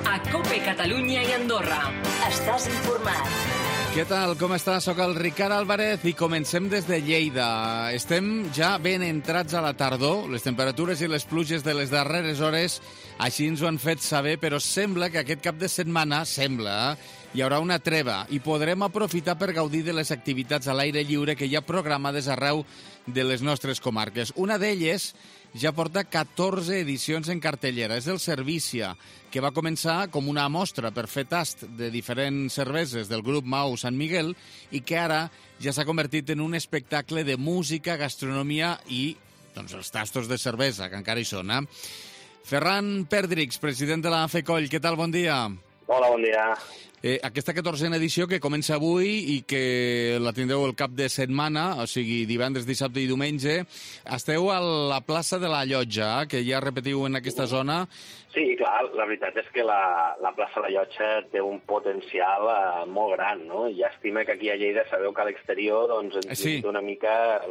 a COPE Catalunya i Andorra. Estàs informat. Què tal? Com estàs? Soc el Ricard Álvarez i comencem des de Lleida. Estem ja ben entrats a la tardor. Les temperatures i les pluges de les darreres hores així ens ho han fet saber, però sembla que aquest cap de setmana, hi haurà una treva i podrem aprofitar per gaudir de les activitats a l'aire lliure que hi ha programades arreu de les nostres comarques. Una d'elles ja porta 14 edicions en cartellera. És el Cervícia, que va començar com una mostra per fer tast de diferents cerveses del grup Mau Sant Miguel i que ara ja s'ha convertit en un espectacle de música, gastronomia i els tastos de cervesa, que encara hi són. Ferran Perdrix, president de la FECOLL, què tal? Bon dia. Hola, bon dia. Aquesta 14a edició que comença avui i que la tindreu el cap de setmana, o sigui, divendres, dissabte i diumenge, esteu a la plaça de la Llotja, que ja repetiu en aquesta zona. Sí, clar, la veritat és que la plaça de la Llotja té un potencial molt gran, no? Llàstima que aquí a Lleida sabeu que a l'exterior ens limita una mica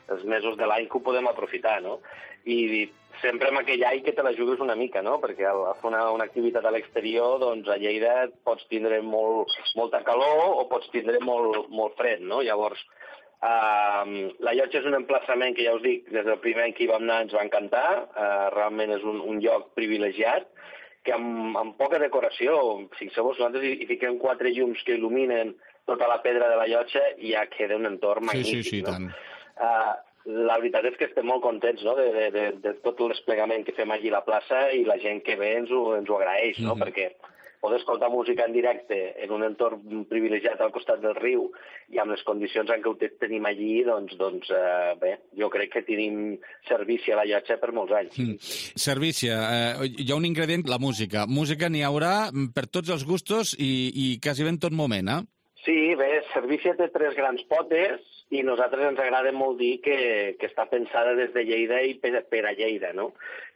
els mesos de l'any que ho podem aprofitar, no? I sempre amb aquell any que te la jugues una mica, no? Perquè al fer una activitat a l'exterior, doncs a Lleida pots tindre molta calor o pots tindre molt fred, no? Llavors, la Llotja és un emplaçament que ja us dic, des del primer any que hi vam anar ens va encantar, realment és un lloc privilegiat, que amb poca decoració, fixeu-vos, nosaltres hi fiquem 4 llums que il·luminen tota la pedra de la Llotja i ja queda un entorn magnífic, sí, no? tant. La veritat és que estem molt contents, no?, de tot el desplegament que fem allí a la plaça i la gent que ve ens ho agraeix, no?, perquè poder escoltar música en directe en un entorn privilegiat al costat del riu i amb les condicions en què ho tenim allí, doncs bé, jo crec que tenim servici a la Llotja per molts anys. Servici, hi ha un ingredient, la música. Música n'hi haurà per tots els gustos i quasi ben tot moment, eh? Sí, bé, Servicia té 3 grans potes i nosaltres ens agrada molt dir que està pensada des de Lleida i per a Lleida, no?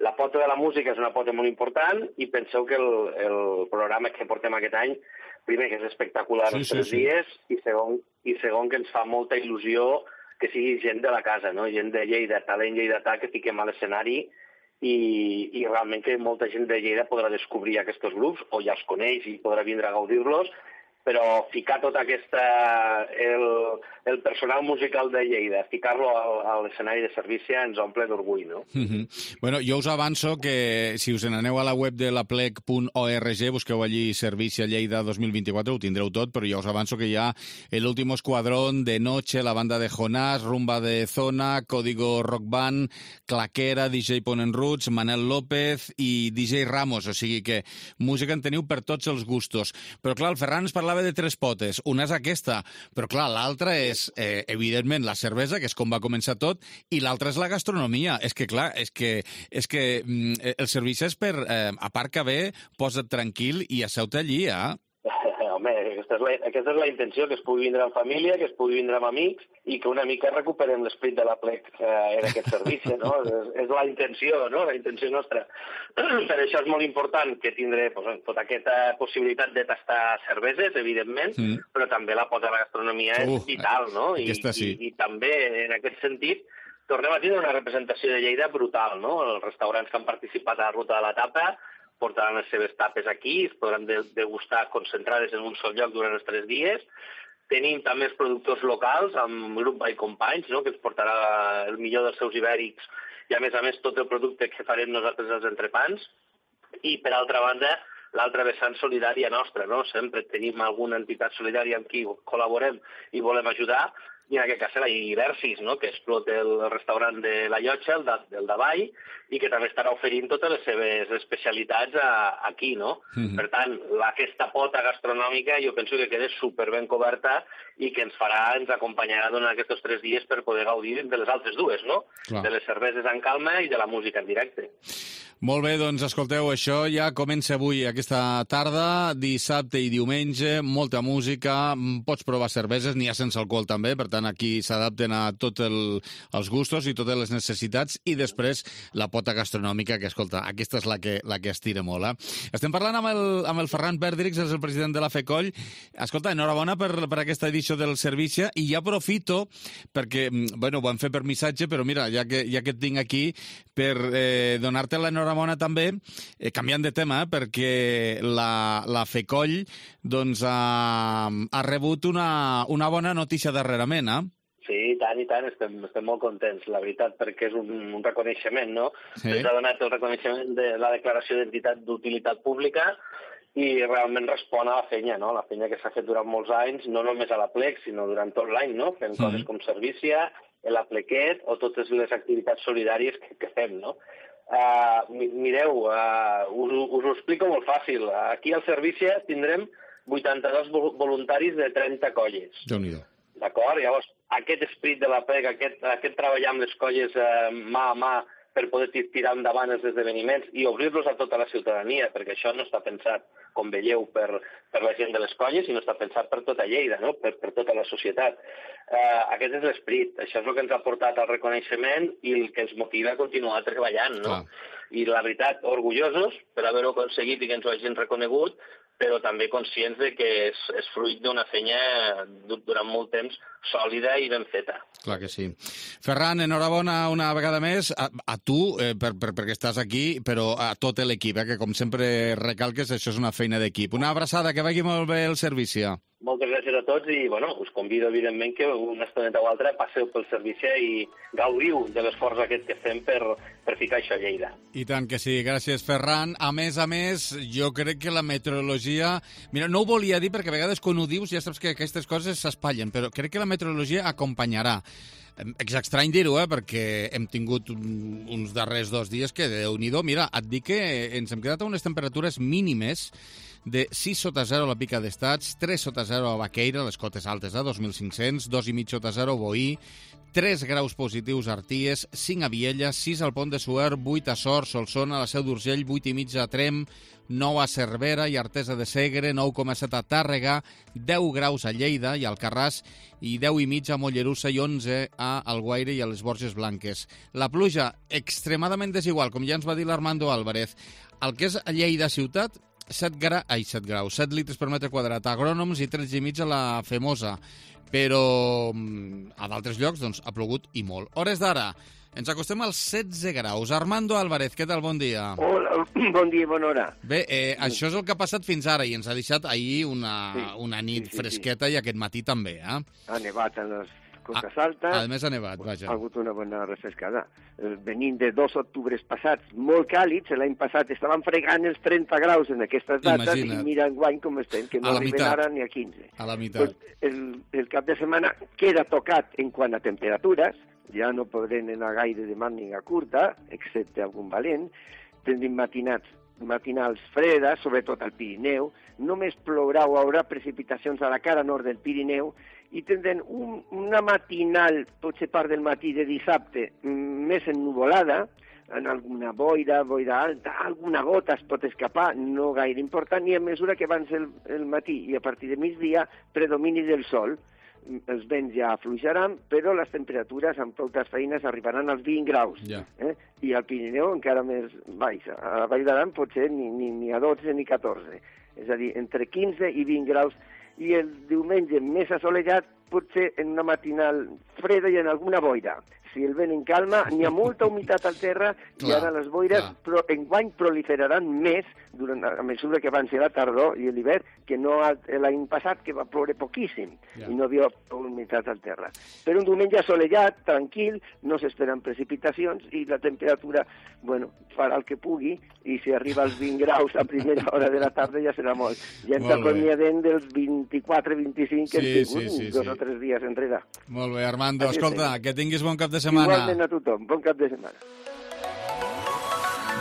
La pota de la música és una pota molt important i penseu que el programa que portem aquest any, primer que és espectacular els 3 dies i segon que ens fa molta il·lusió que sigui gent de la casa, no? Gent de Lleida, talent lleidatà que fiquem a l'escenari i realment que molta gent de Lleida podrà descobrir aquests grups o ja els coneix i podrà vindre a gaudir-los, però ficar tot el personal musical de Lleida, ficar-lo a l'escenari de Servicia ens omple d'orgull, no? Bueno, jo us avanço que si us n'aneu a la web de laplec.org, busqueu allí Servicia Lleida 2024, ho tindreu tot, però ja us avanço que hi ha el último escuadrón, De Noche, la banda de Jonás, Rumba de Zona, Código Rock Band, Claquera, DJ Ponen Roots, Manel López i DJ Ramos, o sigui que música en teniu per tots els gustos. Però clar, el Ferran ens parlava de 3 potes. Una és aquesta, però clar, l'altra és, evidentment, la cervesa, que és com va començar tot, i l'altra és la gastronomia. És que, clar, és que el servici és per, a part que ve, posa't tranquil i asseu-te allí, Home, aquesta és la intenció, que es pugui vindre amb família, que es pugui vindre amb amics i que una mica recuperem l'esprit de la plec en aquest servici, no? És la intenció, no? La intenció nostra. Per això és molt important que tindré tota aquesta possibilitat de tastar cerveses, evidentment, però també la pota de la gastronomia és vital, no? I també, en aquest sentit, tornem a tindre una representació de Lleida brutal, no? Els restaurants que han participat a la Ruta de la Tapa portaran les seves tapes aquí, es podran degustar concentrades en un sol lloc durant els 3 dies. Tenim també els productors locals, amb Grup by Companys, no?, que ens portarà el millor dels seus ibèrics i, a més, tot el producte que farem nosaltres als entrepans. I, per altra banda, l'altra vessant solidària nostra, no? Sempre tenim alguna entitat solidària amb qui col·laborem i volem ajudar, i en aquest cas la Iversis, no?, que explota el restaurant de la Llotja, el Davall, i que també estarà oferint totes les seves especialitats aquí, no? Per tant, aquesta pota gastronòmica jo penso que queda superben coberta i que ens acompanyarà durant aquests 3 dies per poder gaudir de les altres 2, no? Clar. De les cerveses en calma i de la música en directe. Molt bé, doncs escolteu, això ja comença avui, aquesta tarda, dissabte i diumenge, molta música, pots provar cerveses, n'hi ha sense alcohol també, per tant aquí s'adapten a tots els gustos i totes les necessitats, i després la pota gastronòmica, que escolta, aquesta és la que estira molt. Estem parlant amb el Ferran Perdrix, és el president de la FECOLL. Escolta, enhorabona per aquesta edició del Servicia, i ja aprofito perquè, bueno, ho vam fer per missatge, però mira, ja que et tinc aquí, per donar-te l'enhorabona enhorabona també, canviant de tema, perquè la FECOLL doncs, ha rebut una bona notícia darrerament, Sí, i tant, estem molt contents, la veritat, perquè és un reconeixement, no? Sí. Ens ha donat el reconeixement de la declaració d'entitat d'utilitat pública i realment respon a la feina, no? La feina que s'ha fet durant molts anys, no només a la Plec, sinó durant tot l'any, no? Fent coses com Servícia, la Plequet o totes les activitats solidàries que fem, no? Mireu, us ho explico molt fàcil. Aquí al Servícia tindrem 82 voluntaris de 30 colles. Déu-n'hi-do. D'acord? Llavors, aquest esperit de la PEC, aquest treballar amb les colles mà a mà per poder tirar endavant els esdeveniments i obrir-los a tota la ciutadania, perquè això no està pensat, com veieu, per la gent de les colles, sinó està pensat per tota Lleida, no? per tota la societat. Aquest és l'esperit, això és el que ens ha portat al reconeixement i el que ens motiva a continuar treballant, no? I la veritat, orgullosos per haver-ho aconseguit i que ens ho hagin reconegut, però també conscients de que és fruit d'una feina durant molt temps sòlida i ben feta. Clar que sí. Ferran, enhorabona una vegada més a tu, perquè estàs aquí, però a tot l'equip, que com sempre recalques, això és una feina d'equip. Una abraçada, que vagi molt bé el servici. Moltes gràcies a tots i us convido, evidentment, que una estoneta o altra passeu pel servici i gaudiu de l'esforç aquest que fem per ficar això a Lleida. I tant que sí. Gràcies, Ferran. A més, jo crec que la meteorologia... Mira, no ho volia dir perquè a vegades quan ho dius ja saps que aquestes coses s'espatllen, però crec que la meteorologia acompanyarà. És estrany dir-ho, perquè hem tingut uns darrers 2 dies que, Déu-n'hi-do, mira, et dic que ens hem quedat a unes temperatures mínimes de 6 sota 0 a la Pica d'Estats, 3 sota 0 a Baqueira, les cotes altes, 2.500, 2,5 sota 0 a Boí, 3 graus positius a Arties, 5 a Viella, 6 al Pont de Suert, 8 a Sort, Solsona, a la Seu d'Urgell, 8,5 a Trem, 9 a Cervera i Artesa de Segre, 9,7 a Tàrrega, 10 graus a Lleida i Alcarràs i 10,5 a Mollerussa i 11 a Alguaire i a les Borges Blanques. La pluja extremadament desigual, com ja ens va dir l'Armando Álvarez. El que és a Lleida ciutat, 7 graus, 7 litres per metre quadrat a Agrònoms i 13,5 a la Femosa. Però a d'altres llocs doncs, ha plogut i molt. Hores d'ara, ens acostem als 16 graus. Armando Álvarez, què tal? Bon dia. Hola, bon dia i bona hora. Bé, això és el que ha passat fins ara i ens ha deixat ahir una nit fresqueta i aquest matí també, Ha nevat a les cotes altes. A més ha nevat, vaja. Ha hagut una bona refrescada. Venint de 2 octubres passats molt càlids, l'any passat estaven fregant els 30 graus en aquestes dates. Imagina't. I mira enguany com estem, que no arriben ara ni a 15. A la meitat. Pues el cap de setmana queda tocat en quant a temperatures, ja no podrem anar gaire de màniga curta, excepte algun valent. Tindrem matinals fredes, sobretot al Pirineu. Només plourà o haurà precipitacions a la cara nord del Pirineu i tindrem una matinal, potser part del matí de dissabte, més ennuvolada, en alguna boira alta, alguna gota es pot escapar, no gaire important, i a mesura que avança el matí i a partir de migdia, predomini del sol. Els vents ja afluixaran, però les temperatures amb totes feines arribaran als 20 graus. I al Pirineu encara més baix. A la Vall d'Aran potser ni a 12 ni 14. És a dir, entre 15 i 20 graus. I el diumenge més assolellat, potser en una matinal freda i en alguna boira. Si el vent en calma, n'hi ha molta humitat al terra i ara les boires enguany proliferaran més a mesura que avanci la tardor i l'hivern, que no l'any passat, que va ploure poquíssim i no havia humitat al terra. Però un diumenge assolellat, tranquil, no s'esperen precipitacions i la temperatura, farà el que pugui, i si arriba als 20 graus a primera hora de la tarda ja serà molt. Ja ens acomiadem dels 24-25 que hem tingut 2 o 3 dies enrere. Molt bé, Armando, escolta, que tinguis bon cap de setmana. Igualment a tothom, bon cap de setmana.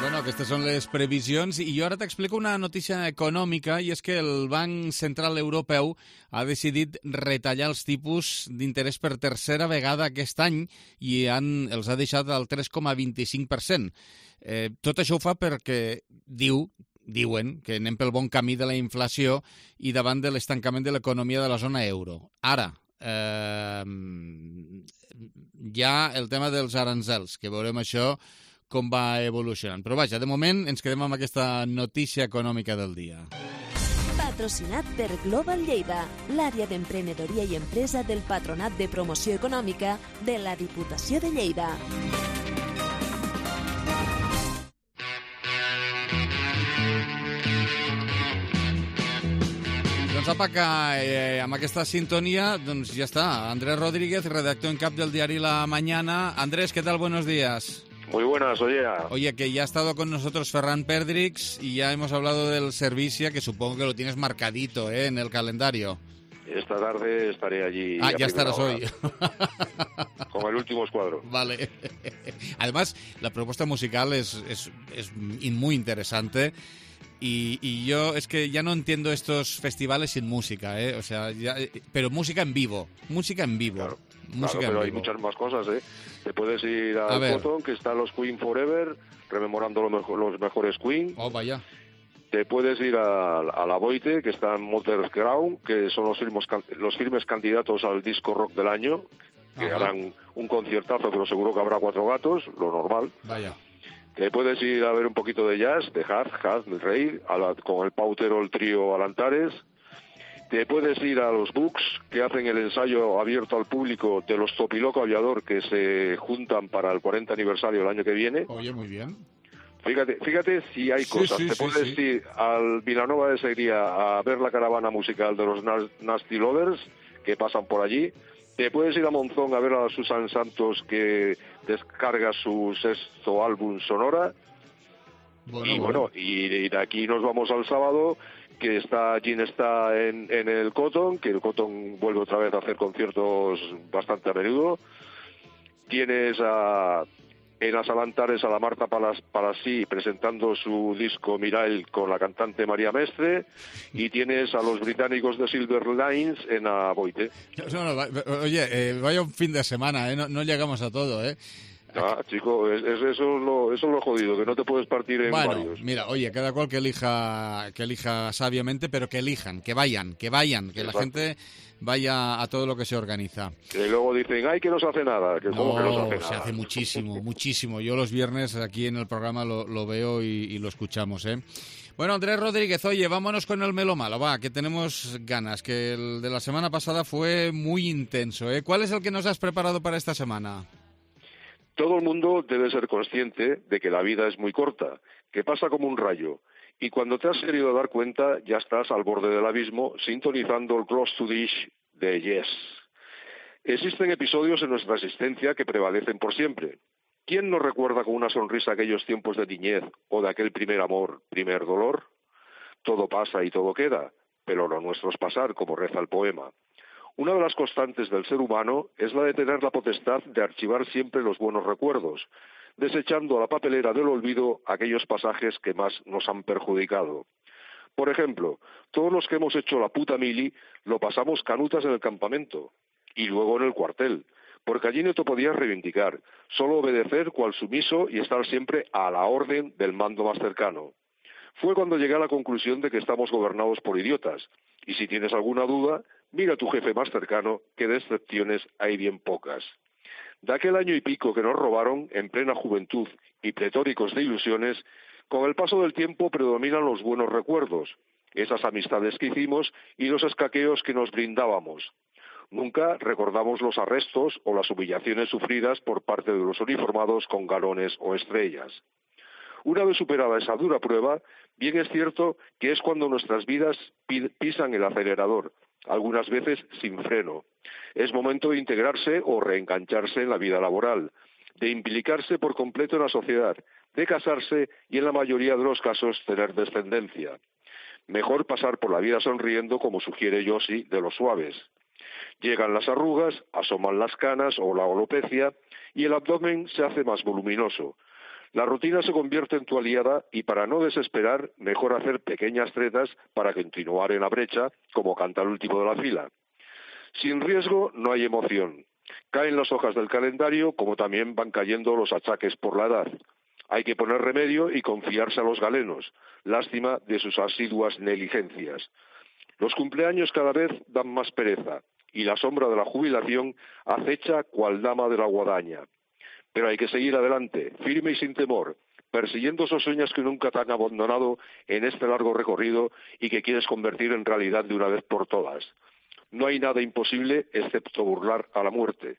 Bueno, aquestes són les previsions i jo ara t'explico una notícia econòmica i és que el Banc Central Europeu ha decidit retallar els tipus d'interès per tercera vegada aquest any i els ha deixat al 3,25%. Tot això ho fa perquè diuen que anem pel bon camí de la inflació i davant de l'estancament de l'economia de la zona euro. Ara, hi ha el tema dels aranzels, que veurem això com va evolucionant. Però vaja, de moment ens quedem amb aquesta notícia econòmica del dia. Patrocinat per Global Lleida, l'àrea d'emprenedoria i empresa del Patronat de Promoció Econòmica de la Diputació de Lleida. Doncs apa, que amb aquesta sintonia, doncs ja està. Andrés Rodríguez, redactor en cap del diari La Mañana. Andrés, ¿qué tal? Buenos días. Muy buenas, oye. Oye, que ya ha estado con nosotros Ferran Perdrix y ya hemos hablado del Servicia, que supongo que lo tienes marcadito, en el calendario. Esta tarde estaré allí. Ah, ya estarás hoy. Con el último escuadro. Vale. Además, la propuesta musical es muy interesante. Y yo es que ya no entiendo estos festivales sin música, o sea, pero música en vivo, Claro, pero hay muchas más cosas, Te puedes ir al Cotton, que están los Queen Forever, rememorando los mejores Queen. Oh, vaya. Te puedes ir a la Boite, que está en Mother's Ground, que son los firmes candidatos al disco rock del año, que harán un conciertazo, pero seguro que habrá 4 gatos, lo normal. Vaya. Te puedes ir a ver un poquito de jazz, de Haz, el rey, con el pautero, el trío Alantares. Te puedes ir a los Books, que hacen el ensayo abierto al público de los Topiloco Aviador, que se juntan para el 40 aniversario el año que viene. Oye, muy bien. Fíjate si hay cosas. Te puedes ir al Vilanova de Segría a ver la caravana musical de los Nasty Lovers, que pasan por allí. Te puedes ir a Monzón a ver a Susan Santos, que descarga su 6º álbum Sonora. Y de aquí nos vamos al sábado, que Jean está en el Cotton, que el Cotton vuelve otra vez a hacer conciertos bastante a menudo. Tienes en las Alantares a la Marta Palasí presentando su disco Mirail con la cantante María Mestre, y tienes a los británicos de Silver Lines en Aboite. Oye, vaya un fin de semana, no llegamos a todo, Chico, eso es lo jodido, que no te puedes partir en varios. Mira, oye, cada cual que elija sabiamente, pero que elijan, que vayan, que Exacto. La gente vaya a todo lo que se organiza. Y luego dicen, ay, que no se hace nada. ¿Cómo que no se hace nada? Se hace muchísimo. Yo los viernes aquí en el programa lo veo y lo escuchamos, Bueno, Andrés Rodríguez, oye, vámonos con el Melomalo, que tenemos ganas, que el de la semana pasada fue muy intenso, ¿Cuál es el que nos has preparado para esta semana? Todo el mundo debe ser consciente de que la vida es muy corta, que pasa como un rayo, y cuando te has querido dar cuenta ya estás al borde del abismo sintonizando el Close to Dish de Yes. Existen episodios en nuestra existencia que prevalecen por siempre. ¿Quién no recuerda con una sonrisa aquellos tiempos de niñez o de aquel primer amor, primer dolor? Todo pasa y todo queda, pero lo nuestro es pasar, como reza el poema. Una de las constantes del ser humano es la de tener la potestad de archivar siempre los buenos recuerdos, desechando a la papelera del olvido aquellos pasajes que más nos han perjudicado. Por ejemplo, todos los que hemos hecho la puta mili lo pasamos canutas en el campamento y luego en el cuartel, porque allí no te podías reivindicar, solo obedecer cual sumiso y estar siempre a la orden del mando más cercano. Fue cuando llegué a la conclusión de que estamos gobernados por idiotas, y si tienes alguna duda, mira a tu jefe más cercano, que de excepciones hay bien pocas. De aquel año y pico que nos robaron, en plena juventud y pletóricos de ilusiones, con el paso del tiempo predominan los buenos recuerdos, esas amistades que hicimos y los escaqueos que nos brindábamos. Nunca recordamos los arrestos o las humillaciones sufridas por parte de los uniformados con galones o estrellas. Una vez superada esa dura prueba, bien es cierto que es cuando nuestras vidas pisan el acelerador, algunas veces sin freno. Es momento de integrarse o reengancharse en la vida laboral, de implicarse por completo en la sociedad, de casarse y en la mayoría de los casos tener descendencia. Mejor pasar por la vida sonriendo, como sugiere Yossi, de los suaves. Llegan las arrugas, asoman las canas o la alopecia y el abdomen se hace más voluminoso. La rutina se convierte en tu aliada y para no desesperar, mejor hacer pequeñas tretas para continuar en la brecha, como canta el último de la fila. Sin riesgo no hay emoción. Caen las hojas del calendario, como también van cayendo los achaques por la edad. Hay que poner remedio y confiarse a los galenos. Lástima de sus asiduas negligencias. Los cumpleaños cada vez dan más pereza y la sombra de la jubilación acecha cual dama de la guadaña. Pero hay que seguir adelante, firme y sin temor, persiguiendo esos sueños que nunca te han abandonado en este largo recorrido y que quieres convertir en realidad de una vez por todas. No hay nada imposible excepto burlar a la muerte.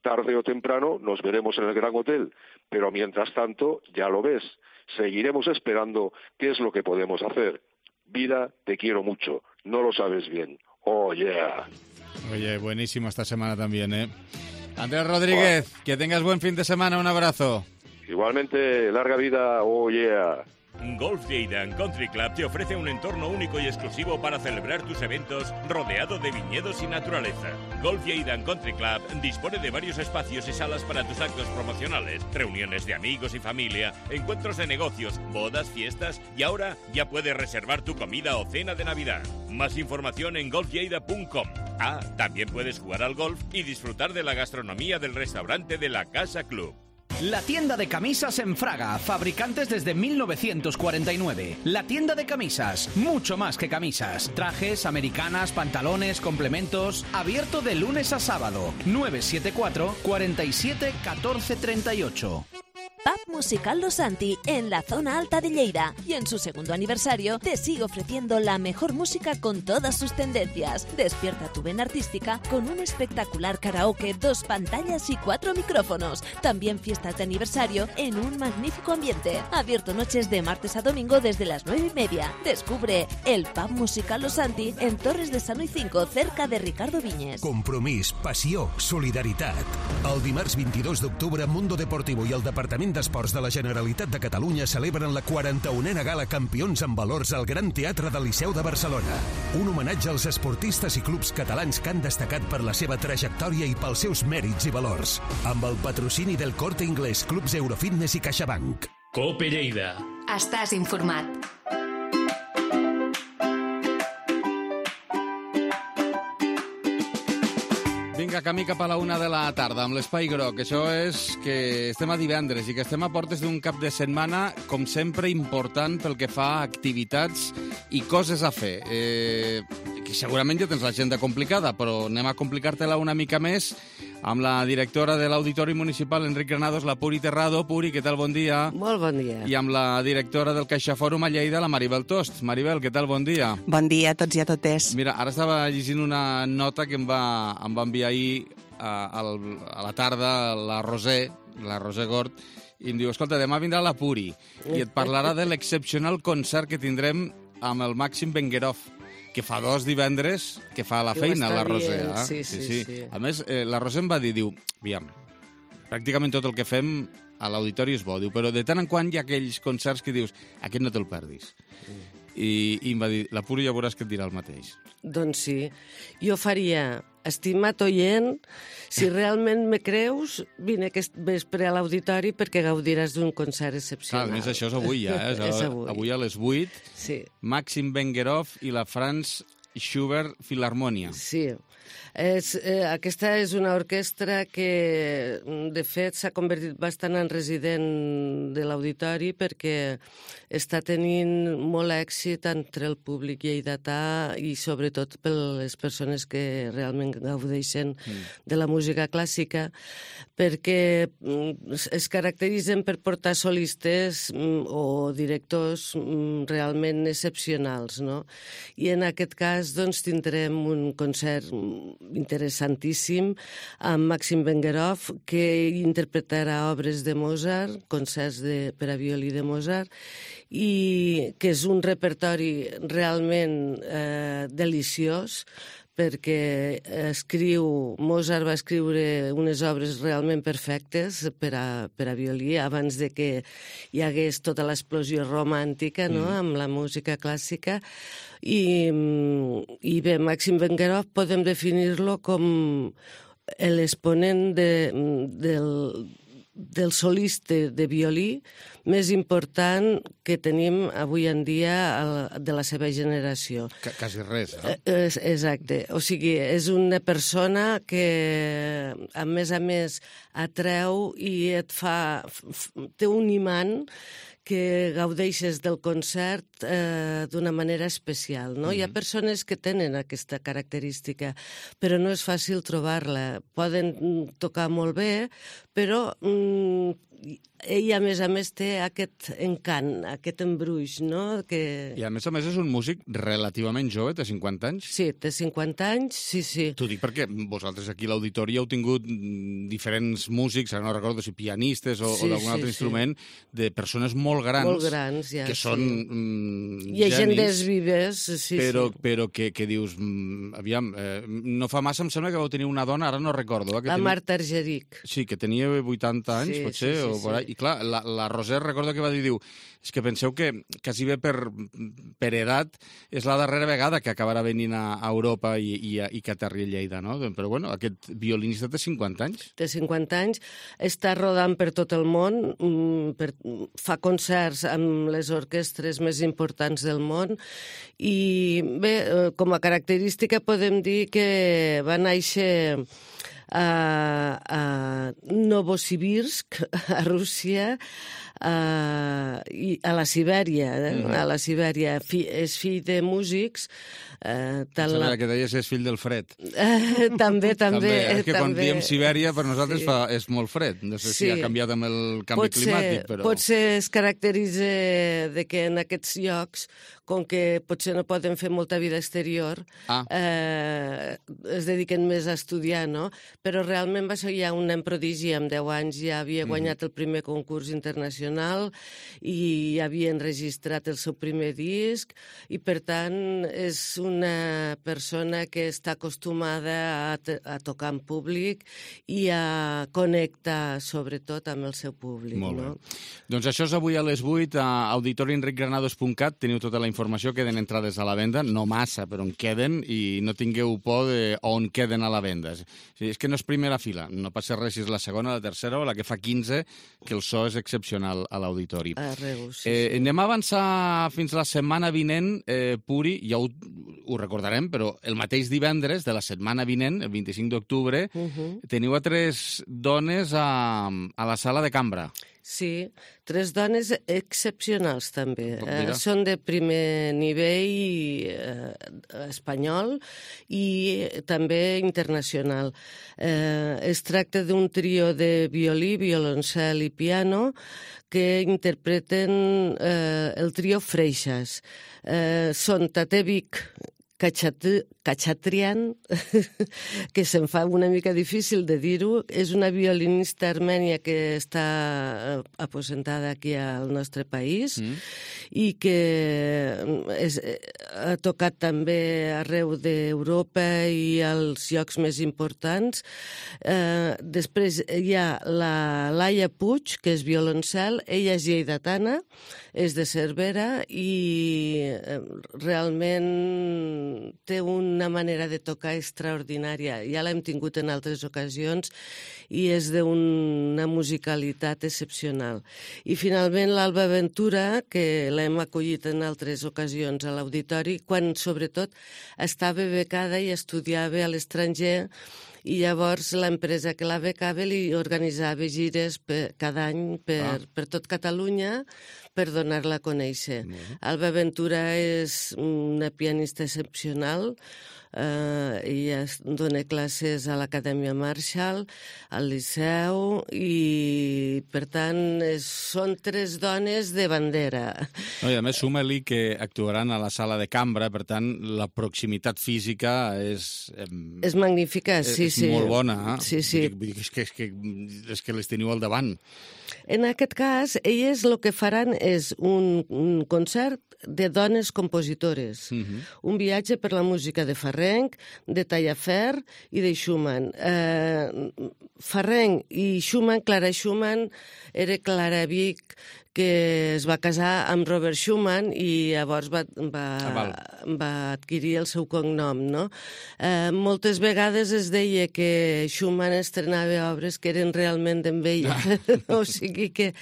Tarde o temprano nos veremos en el Gran Hotel, pero mientras tanto, ya lo ves, seguiremos esperando qué es lo que podemos hacer. Vida, te quiero mucho. no lo sabes bien. Oh, yeah. Oye, buenísimo esta semana también, ¿eh? Andrés Rodríguez, que tengas buen fin de semana, un abrazo. Igualmente, larga vida, oh, yeah. Golf Lleida Country Club te ofrece un entorno único y exclusivo para celebrar tus eventos rodeado de viñedos y naturaleza. Golf Lleida Country Club dispone de varios espacios y salas para tus actos promocionales, reuniones de amigos y familia, encuentros de negocios, bodas, fiestas y ahora ya puedes reservar tu comida o cena de Navidad. Más información en golflleida.com. También puedes jugar al golf y disfrutar de la gastronomía del restaurante de la Casa Club. La tienda de camisas en Fraga, fabricantes desde 1949. La tienda de camisas, mucho más que camisas. Trajes, americanas, pantalones, complementos. Abierto de lunes a sábado. 974 47 14 38. Pub Musical Los Santi, en la zona alta de Lleida. Y en su segundo aniversario te sigue ofreciendo la mejor música con todas sus tendencias. Despierta tu vena artística con un espectacular karaoke, 2 pantallas y 4 micrófonos. También fiestas de aniversario en un magnífico ambiente. Abierto noches de martes a domingo desde las 9:30. Descubre el Pub Musical Los Santi en Torres de Sano y 5, cerca de Ricardo Viñes. Compromís, passió, solidaritat. El dimarts 22 d'octubre, Mundo Deportivo i el Departament d'Esports de la Generalitat de Catalunya celebren la 41a Gala Campions en Valors al Gran Teatre del Liceu de Barcelona. Un homenatge als esportistes i clubs catalans que han destacat per la seva trajectòria i pels seus mèrits i valors. Amb el patrocini del Corte Inglés, Clubs Eurofitness i CaixaBank. Cope Lleida. Estàs informat. Vinga, camí cap a la 1 de la tarda amb l'Espai Groc. Això és que estem a divendres i que estem a portes d'un cap de setmana, com sempre, important pel que fa a activitats i coses a fer. Que segurament ja tens l'agenda complicada, però anem a complicar-te-la una mica més amb la directora de l'Auditori Municipal, Enric Granados, la Puri Terrado. Puri, què tal? Bon dia. Molt bon dia. I amb la directora del CaixaFòrum a Lleida, la Maribel Tost. Maribel, què tal? Bon dia. Bon dia a tots i a totes. Mira, ara estava llegint una nota que em va enviar ahir a la tarda la Roser Gort, i em diu, escolta, demà vindrà la Puri i et parlarà de l'excepcional concert que tindrem amb el Màxim Benguerov, que fa 2 divendres que fa la feina, la Roser. Sí. A més, la Roser em va dir, aviam, pràcticament tot el que fem a l'auditori és bo, diu, però de tant en quant hi ha aquells concerts que dius, aquest no te'l perdis. I em va dir, la Puri ja veuràs que et dirà el mateix. Doncs sí. Jo faria, estimat oient, si realment me creus, vine aquest vespre a l'auditori perquè gaudiràs d'un concert excepcional. Clar, a més, això és avui ja, És avui. Avui a les 8, sí. Màxim Benguerov i la Franz Schubert Filharmonia. Sí. Aquesta és una orquestra que, de fet, s'ha convertit bastant en resident de l'auditori perquè està tenint molt èxit entre el públic lleidatà i sobretot per les persones que realment gaudeixen de la música clàssica, perquè es caracteritzen per portar solistes o directors realment excepcionals, no? I en aquest cas doncs, tindrem un concert interessantíssim amb Màxim Benguerov, que interpretarà obres de Mozart, concerts per a violí de Mozart, i que és un repertori realment deliciós, perquè Mozart va escriure unes obres realment perfectes per a violí abans de que hi hagués tota l'explosió romàntica, no?, amb la música clàssica. I bé, Màxim Benguerov podem definir-lo com l'exponent del solista de violí més important que tenim avui en dia de la seva generació. Quasi res, eh? Exacte. O sigui, és una persona que, a més, atreu i et fa... té un imant que gaudeixes del concert d'una manera especial, no? Hi ha persones que tenen aquesta característica, però no és fàcil trobar-la. Poden tocar molt bé, però ell, a més, té aquest encant, aquest embruix, no? I a més és un músic relativament jove, té 50 anys. Sí, té 50 anys, sí. T'ho dic perquè vosaltres aquí a l'auditori heu tingut diferents músics, ara no recordo si pianistes o d'algun altre instrument, de persones molt grans. Molt grans, ja, que són llegendes vives, sí. Però que dius, aviam, no fa massa em sembla que vau tenir una dona, ara no recordo. La Marta Argerich. Sí, que tenia 80 anys, potser, o por ahí. I clar, la Roser recordo que va dir, és que penseu que quasi bé per edat és la darrera vegada que acabarà venint a Europa i que aterri a Lleida, no? Però bueno, aquest violinista té 50 anys. Té 50 anys, està rodant per tot el món, fa concerts amb les orquestres més importants del món i bé, com a característica podem dir que va néixer a Novosibirsk, a Rússia, i a la Sibèria, a la Sibèria. És fill de músics. Que deies és fill del fred. També. És que quan diem Sibèria per nosaltres és molt fred. No sé si ha canviat amb el canvi climàtic, però... Potser es caracteritza de que en aquests llocs, com que potser no poden fer molta vida exterior, es dediquen més a estudiar, no? Però realment va ser ja un nen prodigi, amb 10 anys ja havia guanyat el primer concurs internacional i havia enregistrat el seu primer disc i, per tant, és una persona que està acostumada a tocar en públic i a connectar, sobretot, amb el seu públic. Molt bé. Doncs això és avui a les 8 a auditorienricgranados.cat. Teniu tota la informació, queden entrades a la venda, no massa, però en queden, i no tingueu por on queden a la venda. És que no és primera fila, no passa res si és la segona, la tercera o la que fa 15, que el so és excepcional a l'auditori. Anem a avançar fins la setmana vinent, Puri, ja ho recordarem, però el mateix divendres de la setmana vinent, el 25 d'octubre, teniu a 3 dones a la sala de cambra. Sí, 3 dones excepcionals també. Són de primer nivell espanyol i també internacional. Es tracta d'un trio de violí, violoncel i piano que interpreten el trio Freixas. Són Tatevic Kachaturian, que se'm fa una mica difícil de dir-ho, és una violinista armènia que està aposentada aquí al nostre país i que ha tocat també arreu d'Europa i als llocs més importants. Després hi ha la Laia Puig, que és violoncel, ella és lleidatana, és de Cervera i realment té una manera de tocar extraordinària. Ja l'hem tingut en altres ocasions i és d'una musicalitat excepcional. I finalment l'Alba Ventura, que l'hem acollit en altres ocasions a l'auditori, quan sobretot estava becada i estudiava a l'estranger, i llavors l'empresa que la becava li organitzava gires cada any per tot Catalunya per donar-la a conèixer. Alba Ventura és una pianista excepcional, ella dona classes a l'Acadèmia Marshall, al Liceu, i per tant són 3 dones de bandera. I a més suma-li que actuaran a la sala de cambra, per tant la proximitat física és... És magnífica, sí. És molt bona, Sí. És que les teniu al davant. En aquest cas, elles el que faran és un concert de dones compositores. Un viatge per la música de Farrenc, de Tallafer i de Schumann. Farrenc i Schumann, Clara Schumann, era Clara Vic, que es va casar amb Robert Schumann i llavors va adquirir el seu cognom, no? Moltes vegades es deia que Schumann estrenava obres que eren realment d'en ella. O sigui que...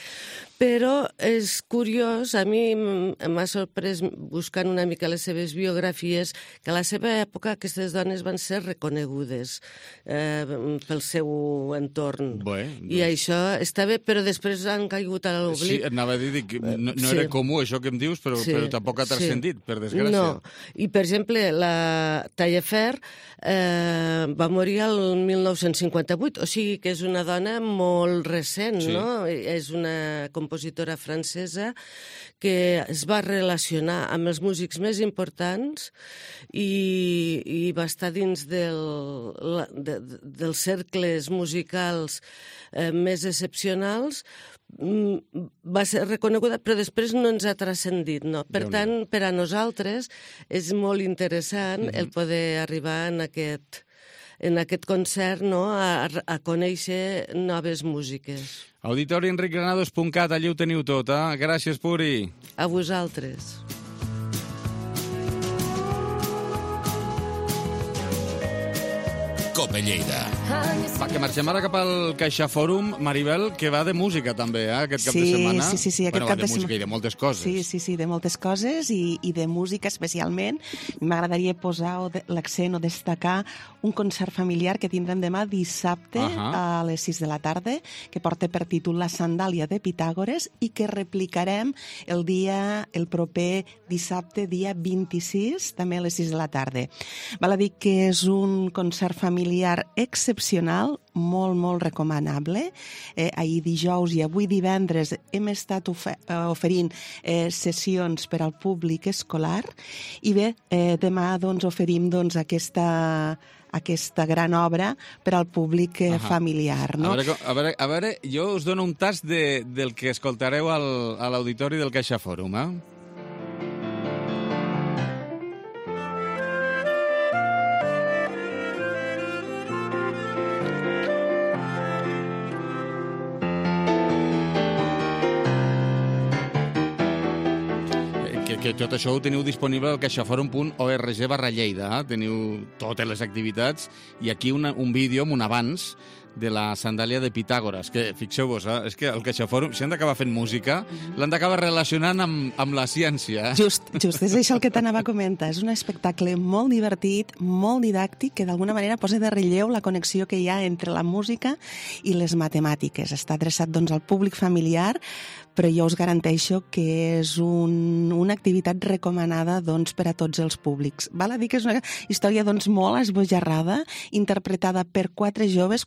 Però és curiós, a mi m'ha sorprès buscant una mica les seves biografies, que a la seva època aquestes dones van ser reconegudes pel seu entorn. I això està bé, però després han caigut a l'oblit. Sí, anava a dir que no era comú això que em dius, però tampoc ha transcendit, per desgràcia. No, i per exemple, la Taillefer va morir el 1958, o sigui que és una dona molt recent, no? És una compositora francesa que es va relacionar amb els músics més importants i va estar dins dels cercles musicals més excepcionals. Va ser reconeguda, però després no ens ha transcendit, no? Per tant, per a nosaltres és molt interessant el poder arribar en aquest concert, no?, a conèixer noves músiques. auditorienricgranados.cat, allí ho teniu tot, eh? Gràcies, Puri. A vosaltres. Cope Lleida. Va, que marxem ara cap al Caixa Fòrum, Maribel, que va de música també, aquest cap de setmana. Sí, aquest cap de setmana. Va de música i de moltes coses. Sí, de moltes coses i de música especialment. M'agradaria posar l'accent o destacar un concert familiar que tindrem demà dissabte a les 6 de la tarda, que porta per títol La sandàlia de Pitàgores i que replicarem el proper dissabte, dia 26, també a les 6 de la tarda. Val a dir que és un concert familiar excepcional, molt recomanable. Ahir dijous i avui divendres hem estat oferint sessions per al públic escolar i bé, demà oferim aquesta gran obra per al públic familiar. No? A veure, jo us dono un tast del que escoltareu a l'auditori del Caixa Fòrum, eh? Que tot això ho teniu disponible al caixaforum.org/Lleida. Teniu totes les activitats i aquí un vídeo amb un avanç de la sandàlia de Pitàgores, que fixeu-vos, és que el Caixaforum, si han d'acabar fent música, l'han d'acabar relacionant amb la ciència. Just, és això el que t'anava a comentar. És un espectacle molt divertit, molt didàctic, que d'alguna manera posa de relleu la connexió que hi ha entre la música i les matemàtiques. Està adreçat al públic familiar, però jo us garanteixo que és una activitat recomanada per a tots els públics. Val a dir que és una història molt esbojarrada, interpretada per quatre joves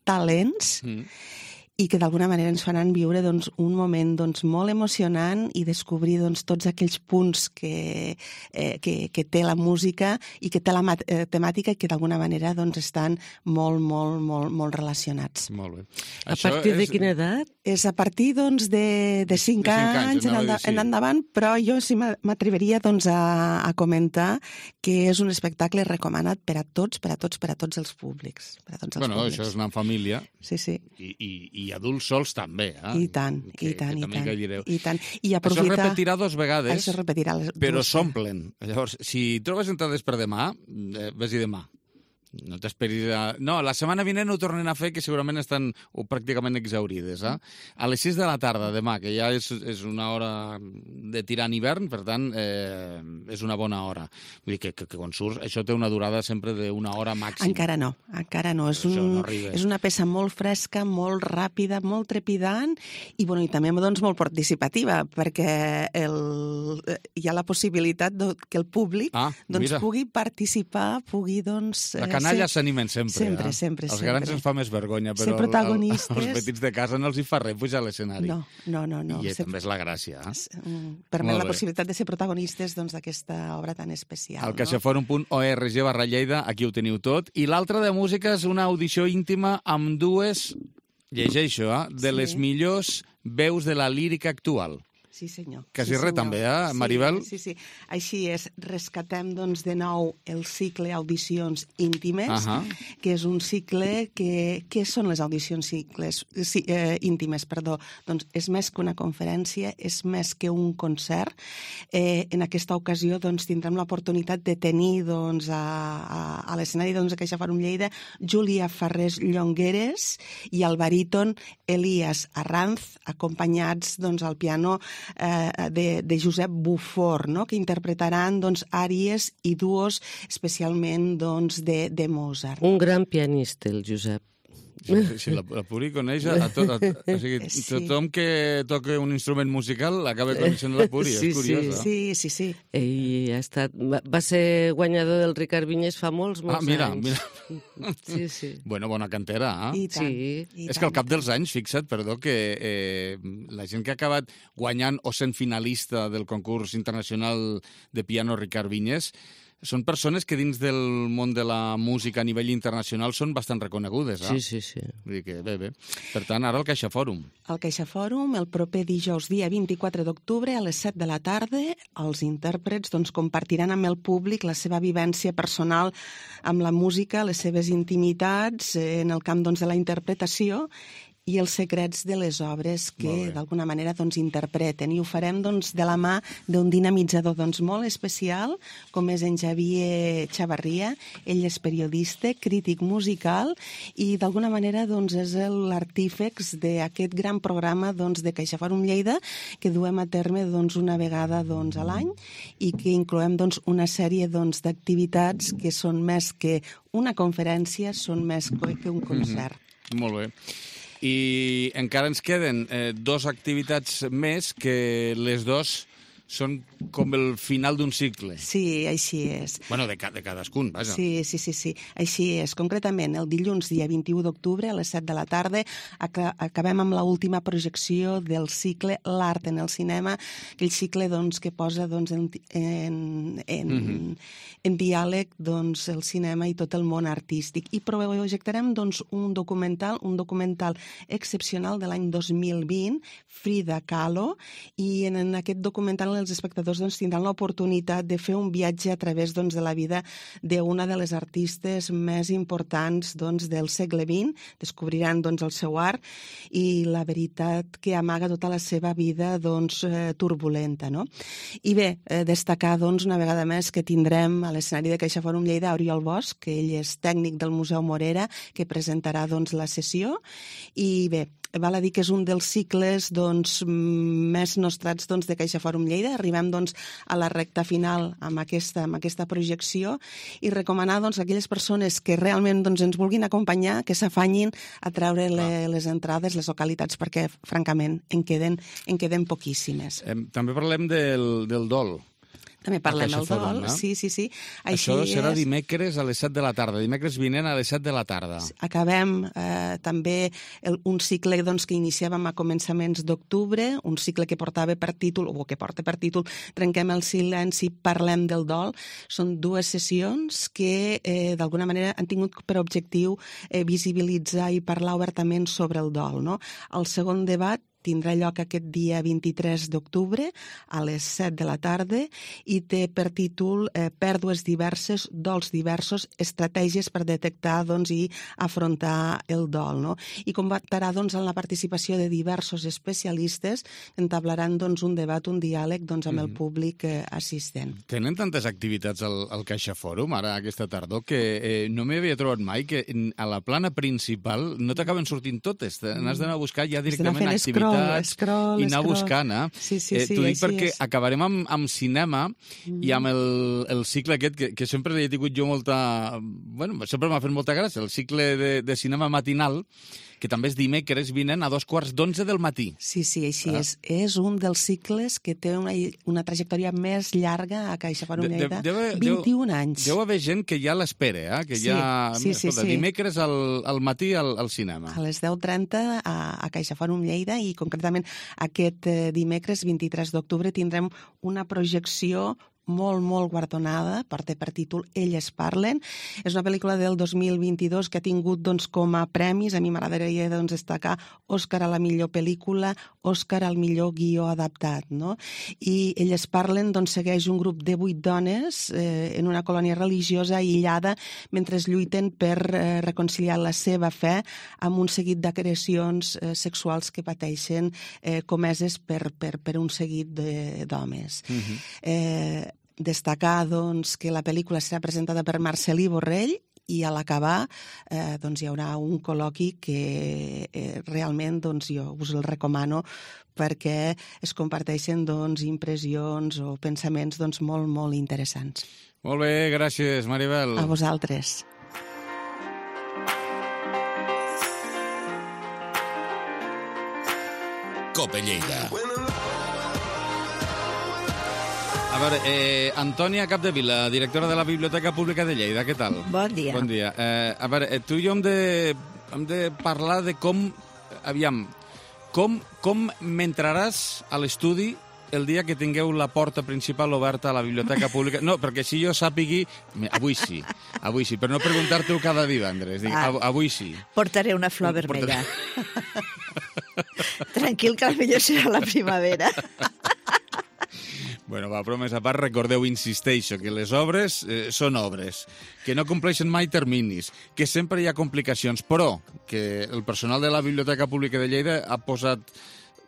talents, i que d'alguna manera ens faran viure un moment molt emocionant i descobrir tots aquells punts que té la música i que té la temàtica i que d'alguna manera estan molt relacionats. Molt bé. A partir de quina edat? És a partir de 5 anys en endavant, però jo sí m'atreviria a comentar que és un espectacle recomanat per a tots els públics. Bueno, això és anar en família. Sí. I adults sols també, eh? I tant. I això es repetirà 2 vegades, això es repetirà però s'omplen. Llavors, si trobes entrades per demà, ves-hi demà. No t'esperis No, la setmana vinent ho tornen a fer, que segurament estan pràcticament exhaurides. A les 6 de la tarda, demà, que ja és una hora de tirant hivern, per tant, és una bona hora. Vull dir que quan surts, això té una durada sempre d'una hora màxima. Encara no. És una peça molt fresca, molt ràpida, molt trepidant i també molt participativa, perquè hi ha la possibilitat que el públic pugui participar, pugui La canalla s'animen sempre. Sempre. Els grans ens fa més vergonya, però als petits de casa no els hi fa res pujar a l'escenari. No. I també és la gràcia. Permet la possibilitat de ser protagonistes d'aquesta obra tan especial. Al caixaforum.org/Lleida, aquí ho teniu tot. I l'altra de música és una audició íntima amb 2, llegeixo, de les millors veus de la lírica actual. Sí, senyor. Quasi res, també, Maribel? Sí. Així és, rescatem, doncs, de nou el cicle Audicions Íntimes, que és un cicle que... Què són les audicions íntimes? Doncs és més que una conferència, és més que un concert. En aquesta ocasió, doncs, tindrem l'oportunitat de tenir, doncs, a l'escenari de CaixaForum Lleida, Júlia Farrés Llongueres i el baríton Elias Arranz, acompanyats, doncs, al piano de Josep Bufor, no?, que interpretaran, doncs, àries i duos especialment, doncs, de Mozart. Un gran pianista, el Josep. Si la Puri coneix a tot. O sigui, tothom que toca un instrument musical acaba coneixent la Puri, és curiós. Sí. Ell va ser guanyador del Ricard Vinyes fa molts anys. Mira. Sí. Bueno, bona cantera, I tant. És que al cap dels anys, fixa't, que la gent que ha acabat guanyant o sent finalista del concurs internacional de piano Ricard Vinyes són persones que dins del món de la música a nivell internacional són bastant reconegudes. Sí. Vull dir que bé. Per tant, ara el CaixaForum. El CaixaForum, el proper dijous, dia 24 d'octubre, a les 7 de la tarda, els intèrprets compartiran amb el públic la seva vivència personal amb la música, les seves intimitats en el camp de la interpretació i els secrets de les obres que d'alguna manera interpreten. I ho farem de la mà d'un dinamitzador molt especial, com és en Xavier Chavarria. Ell és periodista, crític musical i d'alguna manera és l'artífex d'aquest gran programa de CaixaForum Lleida que duem a terme una vegada a l'any i que incloem una sèrie d'activitats que són més que una conferència, són més que un concert. Molt bé. I encara ens queden dues activitats més que les dues són com el final d'un cicle. Sí, així és. Bueno, de cadascun, vaja. Sí. Així és. Concretament, el dilluns, dia 21 d'octubre, a les 7 de la tarda, acabem amb l'última projecció del cicle L'art en el cinema, aquell cicle que posa en diàleg el cinema i tot el món artístic. I projectarem un documental excepcional de l'any 2020, Frida Kahlo, i en aquest documental els espectadors tindran l'oportunitat de fer un viatge a través de la vida d'una de les artistes més importants del segle XX, descobriran el seu art i la veritat que amaga tota la seva vida turbulenta. I bé, destacar una vegada més que tindrem a l'escenari de CaixaForum Lleida Oriol Bosch, que ell és tècnic del Museu Morera, que presentarà la sessió, i bé, val a dir que és un dels cicles més nostrats de CaixaForum Lleida. Arribem a la recta final amb aquesta projecció i recomanar a aquelles persones que realment ens vulguin acompanyar que s'afanyin a treure les entrades, les localitats, perquè francament en queden poquíssimes. També parlem del dol. També parlem del dol, sí. Això serà dimecres a les 7 de la tarda, dimecres vinent a les 7 de la tarda. Acabem també un cicle que iniciàvem a començaments d'octubre, un cicle que porta per títol Trenquem el silenci, parlem del dol. Són dues sessions que d'alguna manera han tingut per objectiu visibilitzar i parlar obertament sobre el dol. El segon debat tindrà lloc aquest dia 23 d'octubre a les 7 de la tarda i té per títol Pèrdues diverses, dols diversos, estratègies per detectar i afrontar el dol. I comptarà amb la participació de diversos especialistes que entablaran un debat, un diàleg amb el públic assistent. Tenen tantes activitats al CaixaForum ara aquesta tardor que no m'hi havia trobat mai que a la plana principal no t'acaben sortint totes. N'has d'anar a buscar ja directament activitats i anar buscant. T'ho dic perquè acabarem amb cinema i amb el cicle aquest que sempre he tingut jo molta... Bueno, sempre m'ha fet molta gràcia, el cicle de cinema matinal, que també és dimecres vinent a 11:45 del matí. Sí, així és. És un dels cicles que té una trajectòria més llarga a CaixaForum Lleida, 21 anys. Deu haver gent que ja l'espera, que ja... Escolta, dimecres al matí al cinema. A les 10:30 a CaixaForum Lleida i concretament aquest dimecres 23 d'octubre tindrem una projecció molt guardonada, porta per títol Elles parlen. És una pel·lícula del 2022 que ha tingut doncs, com a premis, a mi m'agradaria doncs, destacar Òscar a la millor pel·lícula, Òscar al millor guió adaptat. No? I Elles parlen doncs, segueix un grup de 8 dones en una colònia religiosa aïllada mentre lluiten per reconciliar la seva fe amb un seguit d'agressions sexuals que pateixen comeses per un seguit d'homes. Destacar doncs, que la pel·lícula serà presentada per Marcel·lí Borrell i a l'acabar doncs, hi haurà un col·loqui que realment doncs, jo us el recomano perquè es comparteixen doncs, impressions o pensaments doncs, molt interessants. Molt bé, gràcies, Maribel. A vosaltres. Cope Lleida. A veure, Antònia Capdevila, directora de la Biblioteca Pública de Lleida, què tal? Bon dia. Bon dia. A veure, tu i jo hem de parlar de com... Aviam, com m'entraràs a l'estudi el dia que tingueu la porta principal oberta a la Biblioteca Pública? No, perquè si jo sàpigui... Avui sí, però no preguntar-te-ho cada divendres. Dic, avui sí. Portaré una flor vermella. Tranquil, que potser serà la primavera. Bueno, va, però més a part, recordeu, insisteixo, que les obres són obres, que no compleixen mai terminis, que sempre hi ha complicacions, però que el personal de la Biblioteca Pública de Lleida ha posat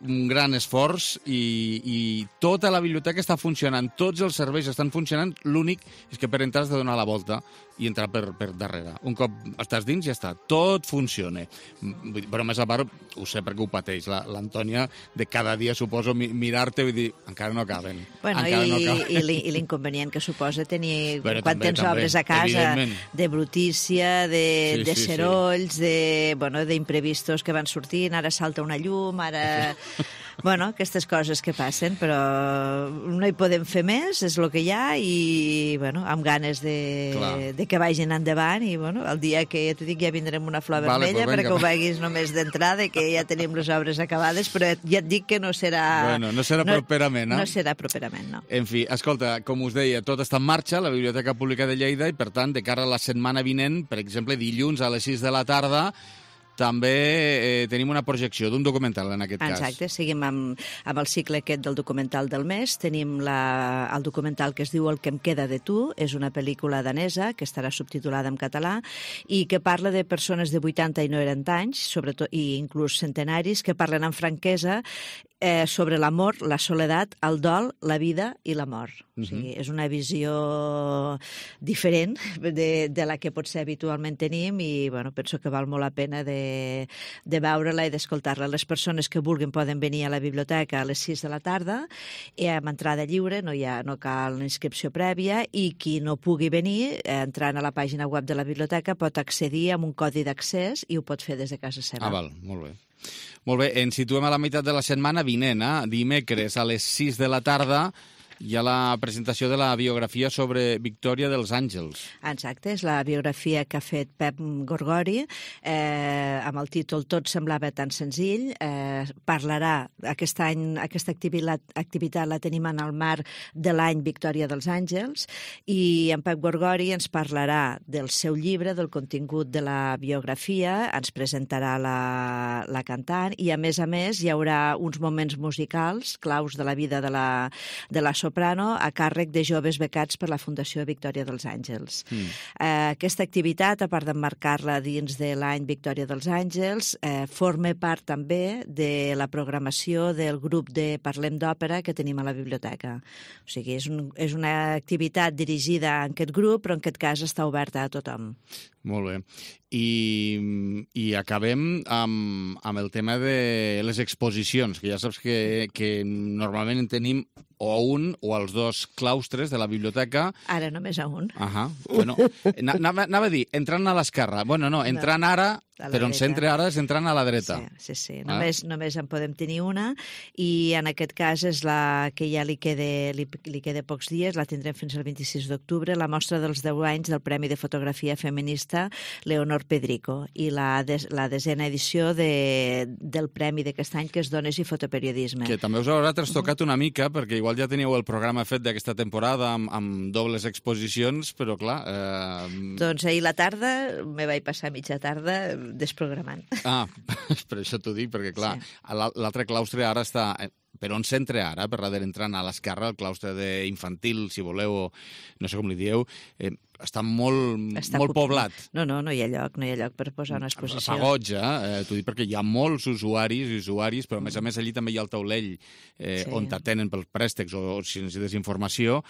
un gran esforç i tota la biblioteca està funcionant, tots els serveis estan funcionant, l'únic és que per entrar has de donar la volta i entrar per darrere. Un cop estàs dins ja està, tot funciona. Però més a part, ho sé perquè ho pateix, l'Antònia de cada dia suposo mirar-te i dir, encara no acaben. Bueno, i l'inconvenient que suposa tenir, quan tens obres a casa, de brutícia, de serolls, d'imprevistos que van sortint, ara salta una llum, ara... Bueno, aquestes coses que passen, però no hi podem fer més, és el que hi ha, i bueno, amb ganes de que vagin endavant, i bueno, el dia que ja t'ho dic ja vindrem una flor vermella perquè ho veguis només d'entrada, que ja tenim les obres acabades, però ja et dic que no serà... Bueno, no serà properament, no? No serà properament, no. En fi, escolta, com us deia, tot està en marxa, la Biblioteca Pública de Lleida, i per tant, de cara a la setmana vinent, per exemple, dilluns a les 6 de la tarda, també tenim una projecció d'un documental, en aquest cas. Exacte, seguim amb el cicle aquest del documental del mes. Tenim el documental que es diu El que em queda de tu, és una pel·lícula danesa que estarà subtitulada en català i que parla de persones de 80 i 90 anys, sobretot, i inclús centenaris, que parlen amb franquesa sobre l'amor, la soledat, el dol, la vida i la mort. O sigui, és una visió diferent de la que potser habitualment tenim i bueno, penso que val molt la pena de veure-la i d'escoltar-la. Les persones que vulguin poden venir a la biblioteca a les 6 de la tarda amb entrada lliure, no cal inscripció prèvia, i qui no pugui venir, entrant a la pàgina web de la biblioteca, pot accedir amb un codi d'accés i ho pot fer des de casa seva. Val, molt bé. Molt bé, ens situem a la meitat de la setmana vinent, dimecres a les 6 de la tarda, hi ha la presentació de la biografia sobre Victòria dels Àngels. Exacte, és la biografia que ha fet Pep Gorgori, amb el títol Tot semblava tan senzill. Parlarà, aquest any, aquesta activitat la tenim en el marc de l'any Victòria dels Àngels, i en Pep Gorgori ens parlarà del seu llibre, del contingut de la biografia, ens presentarà la cantant, i a més hi haurà uns moments musicals claus de la vida de la soprano a càrrec de joves becats per la Fundació Victòria dels Àngels. Aquesta activitat, a part d'emmarcar-la dins de l'any Victòria dels Àngels, forma part també de la programació del grup de Parlem d'Òpera que tenim a la biblioteca. O sigui, és una activitat dirigida a aquest grup, però en aquest cas està oberta a tothom. Molt bé. I acabem amb el tema de les exposicions, que ja saps que normalment en tenim o un o els dos claustres de la biblioteca. Ara només a un. Bueno, anava a dir, entrant a l'esquerra. Bueno, no, entrant ara Però en centre ara és entrant a la dreta. Sí. Només en podem tenir una i en aquest cas és la que ja li queda pocs dies, la tindrem fins al 26 d'octubre, la mostra dels 10 anys del Premi de Fotografia Feminista Leonor Pedrico i la 10a edició del Premi d'aquest any, que és Dones i Fotoperiodisme. Que també us haurà trastocat una mica, perquè igual ja teníeu el programa fet d'aquesta temporada amb dobles exposicions, però clar... Doncs ahir la tarda me vaig passar mitja tarda desprogramant. Per això t'ho dic, perquè clar, l'altre claustre ara està... Per on s'entra ara, per darrere entrant a l'esquerra, el claustre d'infantil, si voleu, o no sé com li dieu, està molt poblat. No hi ha lloc per posar una exposició. Fa goig, t'ho dic perquè hi ha molts usuaris, però a més allí també hi ha el taulell on t'atenen pels préstecs o si necessites informació,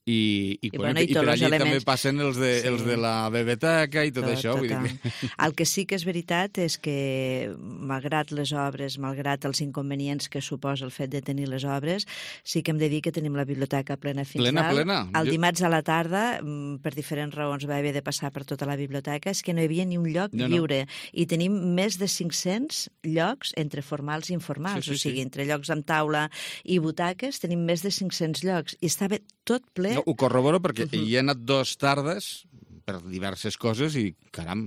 i per allí també passen els de la biblioteca i tot això. El que sí que és veritat és que, malgrat les obres, malgrat els inconvenients que suposa el fet de tenir les obres, sí que hem de dir que tenim la biblioteca plena fins dalt. El dimarts a la tarda, per diferents raons, va haver de passar per tota la biblioteca, és que no hi havia ni un lloc lliure. I tenim més de 500 llocs entre formals i informals, o sigui, entre llocs amb taula i butaques, tenim més de 500 llocs. I estava tot ple. Ho corroboro perquè hi he anat 2 tardes per diverses coses i, caram,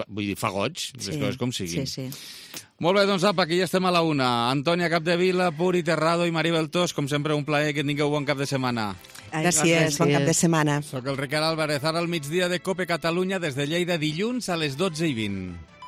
vull dir, fa goig, les coses com siguin. Sí. Molt bé, doncs apa, aquí ja estem a la una. Antònia Capdevila, Puri Terrado i Maribel Tos, com sempre, un plaer, que tingueu bon cap de setmana. Gràcies, bon cap de setmana. Soc el Ricard Álvarez, ara al migdia de COPE Catalunya, des de Lleida, dilluns a les 12:20.